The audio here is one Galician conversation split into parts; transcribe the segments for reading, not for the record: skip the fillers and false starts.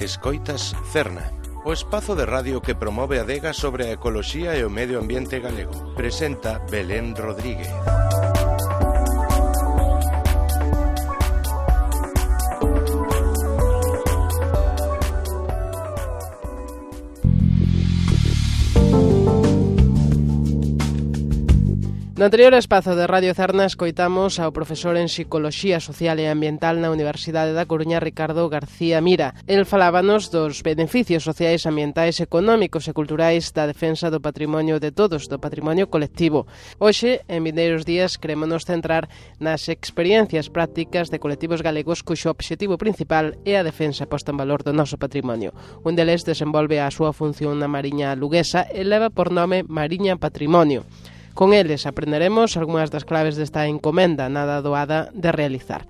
Escoitas Cerna, o espazo de radio que promove a adega sobre a ecoloxía e o medio ambiente galego. Presenta Belén Rodríguez. No anterior espazo de Radio Cerna escoitamos ao profesor en Psicoloxía Social e Ambiental na Universidade da Coruña, Ricardo García Mira. El falábanos dos beneficios sociais, ambientais, económicos e culturais da defensa do patrimonio de todos, do patrimonio colectivo. Hoxe, en vindeiros días, querémonos centrar nas experiencias prácticas de colectivos galegos cuxo obxectivo principal é a defensa posta en valor do noso patrimonio. Un deles desenvolve a súa función na Mariña Luguesa e leva por nome Mariña Patrimonio. Con eles aprenderemos algunhas das claves desta encomenda nada doada de realizar.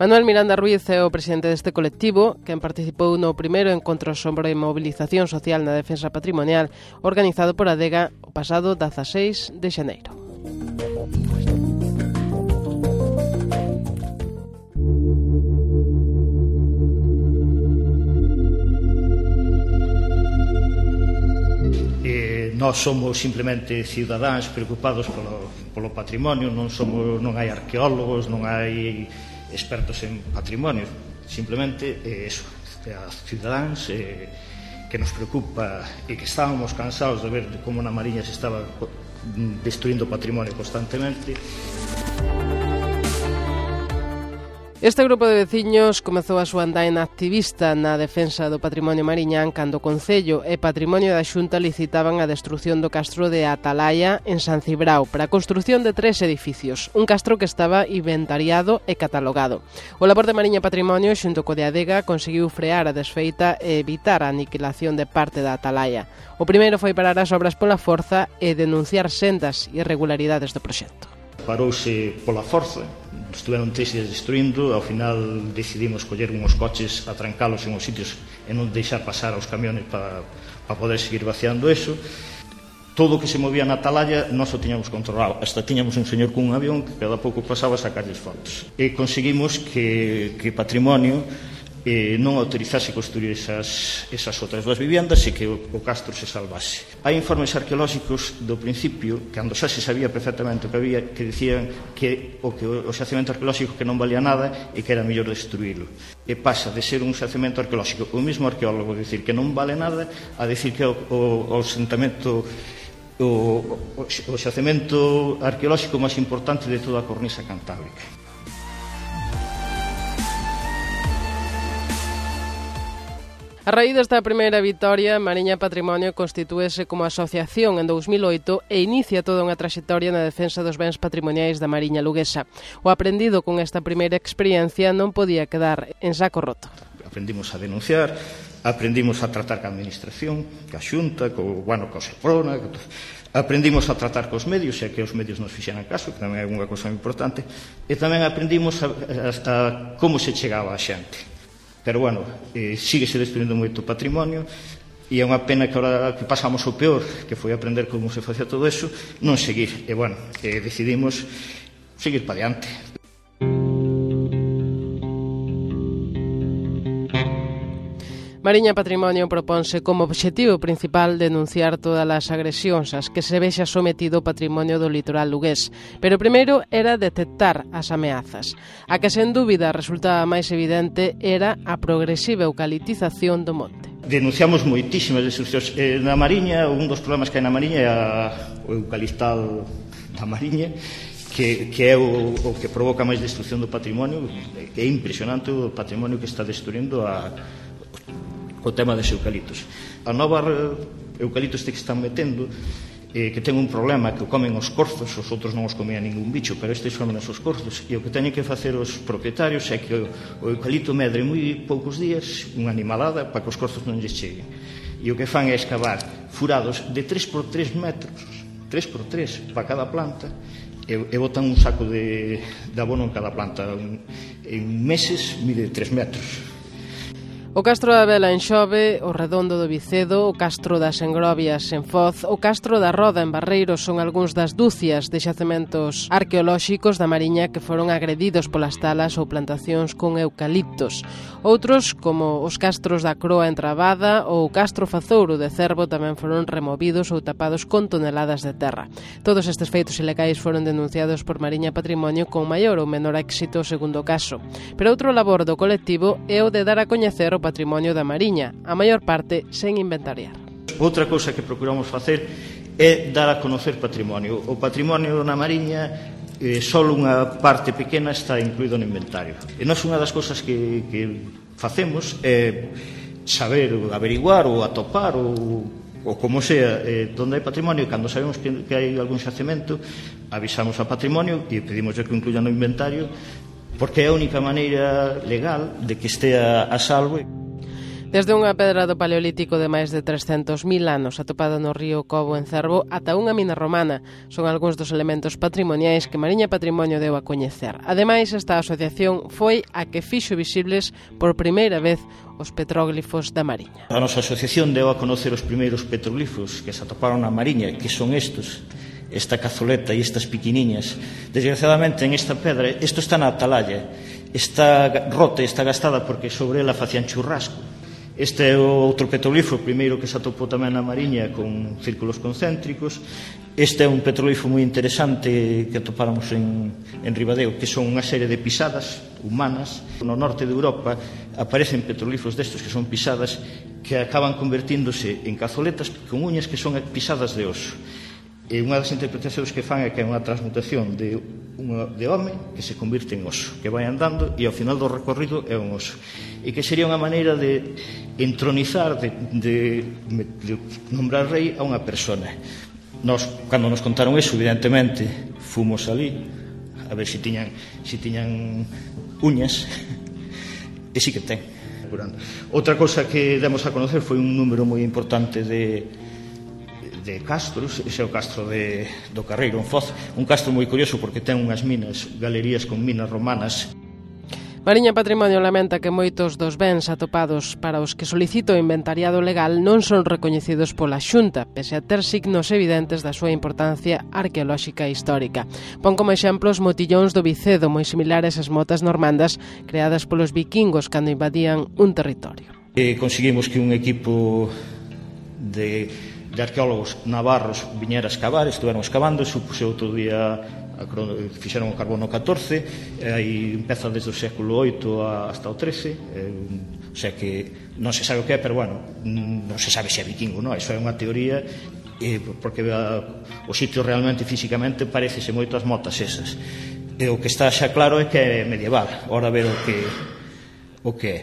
Manuel Miranda Ruiz é o presidente deste colectivo, quen participou no primeiro encontro sobre mobilización social na defensa patrimonial organizado por a Adega o pasado 16 de xaneiro. Nós somos simplemente cidadáns preocupados polo patrimonio, non hai arqueólogos, non hai expertos en patrimonio, simplemente eso, as cidadáns que nos preocupa e que estábamos cansados de ver como na Mariña se estaba destruindo o patrimonio constantemente. Este grupo de veciños comezou a súa andaina activista na defensa do patrimonio mariñán cando o Concello e Patrimonio da Xunta licitaban a destrución do castro de Atalaya en San Cibrao para a construción de 3 edificios, un castro que estaba inventariado e catalogado. O labor de Mariña Patrimonio xunto co de Adega conseguiu frear a desfeita e evitar a aniquilación de parte da Atalaya. O primeiro foi parar as obras pola forza e denunciar sendas irregularidades do proxecto. Parouse pola forza, estuveron 3 días destruindo, ao final decidimos coller uns coches, atrancalos en os sitios e non deixar pasar aos camiones para poder seguir vaciando eso. Todo o que se movía na Atalaya nós o tiñamos controlado, hasta tiñamos un señor cun avión que cada pouco pasaba a sacarles fotos. E conseguimos que Patrimonio non autorizase construir esas outras 2 viviendas e que o castro se salvase. Hai informes arqueolóxicos do principio, cando xa se sabía perfectamente o que había, que dicían que o xacemento arqueolóxico que non valía nada e que era mellor destruílo. E pasa de ser un xacemento arqueolóxico, o mesmo arqueólogo dicir que non vale nada, a dicir que o xacemento arqueolóxico máis importante de toda a cornisa cantábrica. A raíz desta primeira vitoria, Mariña Patrimonio constitúese como asociación en 2008 e inicia toda unha traxectoria na defensa dos bens patrimoniais da Mariña Luguesa. O aprendido con esta primeira experiencia non podía quedar en saco roto. Aprendimos a denunciar, aprendimos a tratar ca administración, ca Xunta, co Seprona, aprendimos a tratar cos medios, e que os medios nos fixeran caso, que tamén é unha cousa importante, e tamén aprendimos a como se chegaba a xente. Pero, síguese destruindo moito patrimonio e é unha pena que agora que pasamos o peor, que foi aprender como se facía todo eso, non seguir. E, decidimos seguir para diante. Mariña Patrimonio proponse como obxectivo principal denunciar todas as agresións ás que se vexa sometido o patrimonio do litoral lugués. Pero primeiro era detectar as ameazas. A que sen dúbida resultaba máis evidente era a progresiva eucaliptización do monte. Denunciamos moitísimas destruccións. Na Mariña, un dos problemas que hai na Mariña é o eucaliptal da Mariña, que é o que provoca máis destrucción do patrimonio. É impresionante o patrimonio que está destruindo o tema dos eucaliptos. A nova eucaliptos que están metendo, que ten un problema, que o comen os corzos, os outros non os comían ningún bicho, pero estes comen os corzos, e o que teñen que facer os propietarios é que o eucalipto medre moi poucos días, unha animalada, para que os corzos non lles cheguen. E o que fan é excavar furados de 3x3 metros, 3x3 para cada planta, e botan un saco de abono en cada planta. En meses mide 3 metros. O Castro da Vela en Xove, o Redondo do Vicedo, o Castro das Engrovias en Foz, o Castro da Roda en Barreiros son algúns das dúcias de xacementos arqueolóxicos da Mariña que foron agredidos polas talas ou plantacións con eucaliptos. Outros, como os castros da Croa en Trabada ou o Castro Fazouro de Cervo, tamén foron removidos ou tapados con toneladas de terra. Todos estes feitos ilegais foron denunciados por Mariña Patrimonio con maior ou menor éxito segundo o caso. Pero outro labor do colectivo é o de dar a coñecer o patrimonio da Mariña, a maior parte sen inventariar. Outra cousa que procuramos facer é dar a conocer patrimonio. O patrimonio na Mariña, só unha parte pequena está incluído no inventario. E nós unha das cousas que facemos é saber, averiguar ou atopar ou como sea, onde hai patrimonio, e cando sabemos que hai algún xacemento, avisamos a patrimonio e pedimos que o incluyan no inventario, porque é a única maneira legal de que estea a salvo. Desde unha pedra do Paleolítico de máis de 300.000 anos atopada no río Cobo en Cervo ata unha mina romana son algúns dos elementos patrimoniais que Mariña Patrimonio deu a coñecer. Ademais, esta asociación foi a que fixo visibles por primeira vez os petróglifos da Mariña. A nosa asociación deu a conocer os primeiros petróglifos que se atoparon na Mariña, que son estos, esta cazoleta e estas piquiniñas. Desgraciadamente, en esta pedra, isto está na atalaya, está rota, está gastada porque sobre ela facían churrasco. Este é o outro petroglifo, o primeiro que se atopou tamén na Mariña con círculos concéntricos. Este é un petroglifo moi interesante que atopáramos en Ribadeo, que son unha serie de pisadas humanas. No norte de Europa aparecen petroglifos destos que son pisadas que acaban convertíndose en cazoletas con uñas que son pisadas de oso. E unha das interpretacións que fan é que é unha transmutación de home que se convirte en oso, que vai andando e ao final do recorrido é un oso. E que sería unha maneira de entronizar, de nombrar rei a unha persona. Nós, cando nos contaron eso, evidentemente, fomos ali a ver se tiñan uñas, e sí que ten. Outra cousa que demos a conocer foi un número moi importante de castros. Ese é o castro do Carreiro en Foz, un castro moi curioso porque ten unhas minas, galerías con minas romanas. Mariña Patrimonio lamenta que moitos dos bens atopados para os que solicita o inventariado legal non son recoñecidos pola Xunta, pese a ter signos evidentes da súa importancia arqueolóxica e histórica. Pon como exemplo os motillóns do Vicedo, moi similares ás motas normandas creadas polos vikingos cando invadían un territorio. Conseguimos que un equipo de arqueólogos navarros viñera a escavar, estuveron escavando, supuse outro día fixeron o carbono 14, aí empeza desde o século VIII hasta o XIII, o sea que non se sabe o que é, pero bueno, non se sabe se é vikingo, non? Iso é unha teoría, porque o sitio realmente físicamente parecese moito as motas esas. E o que está xa claro é que é medieval, ora ver o que é.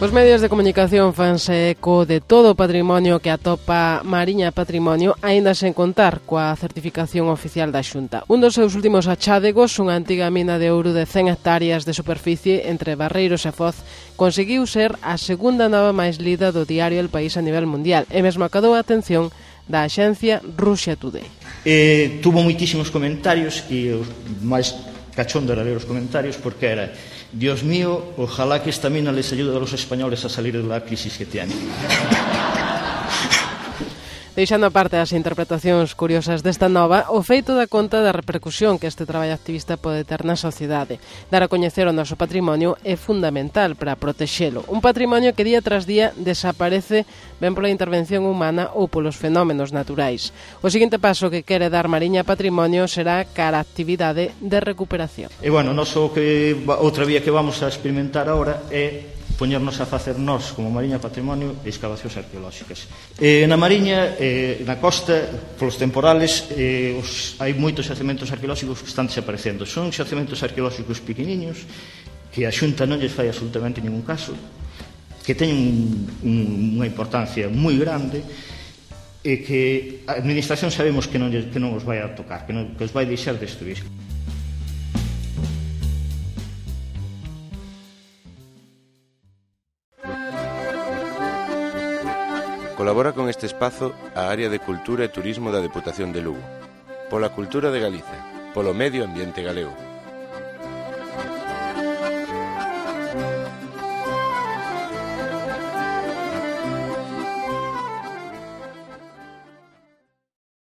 Os medios de comunicación fanse eco de todo o patrimonio que atopa Mariña Patrimonio, aínda sen contar coa certificación oficial da Xunta. Un dos seus últimos achádegos, unha antiga mina de ouro de 100 hectáreas de superficie entre Barreiros e Foz, conseguiu ser a segunda nova máis lida do diario El País a nivel mundial e mesmo acadou a atención da axencia Russia Today. Tuvo moitísimos comentarios e os máis cachondo era ler os comentarios porque era: Dios mío, ojalá que esta mina les ayude a los españoles a salir de la crisis que tienen. Deixando aparte as interpretacións curiosas desta nova, o feito da conta da repercusión que este traballo activista pode ter na sociedade. Dar a coñecer o noso patrimonio é fundamental para protexelo. Un patrimonio que día tras día desaparece ben pola intervención humana ou polos fenómenos naturais. O seguinte paso que quere dar Mariña Patrimonio será cara a actividade de recuperación. E bueno, outra vía que vamos a experimentar agora é poñernos a facer nós, como Mariña Patrimonio, excavacións arqueolóxicas. Na Mariña, na costa, polos temporales, hai moitos xacementos arqueolóxicos que están desaparecendo. Son xacementos arqueolóxicos pequeniños, que a Xunta non lles fai absolutamente ningún caso, que teñen unha importancia moi grande, e que a administración sabemos que non os vai a tocar, que os vai deixar destruir. Colabora con este espazo a Área de Cultura e Turismo da Deputación de Lugo. Pola cultura de Galicia, polo medio ambiente galego.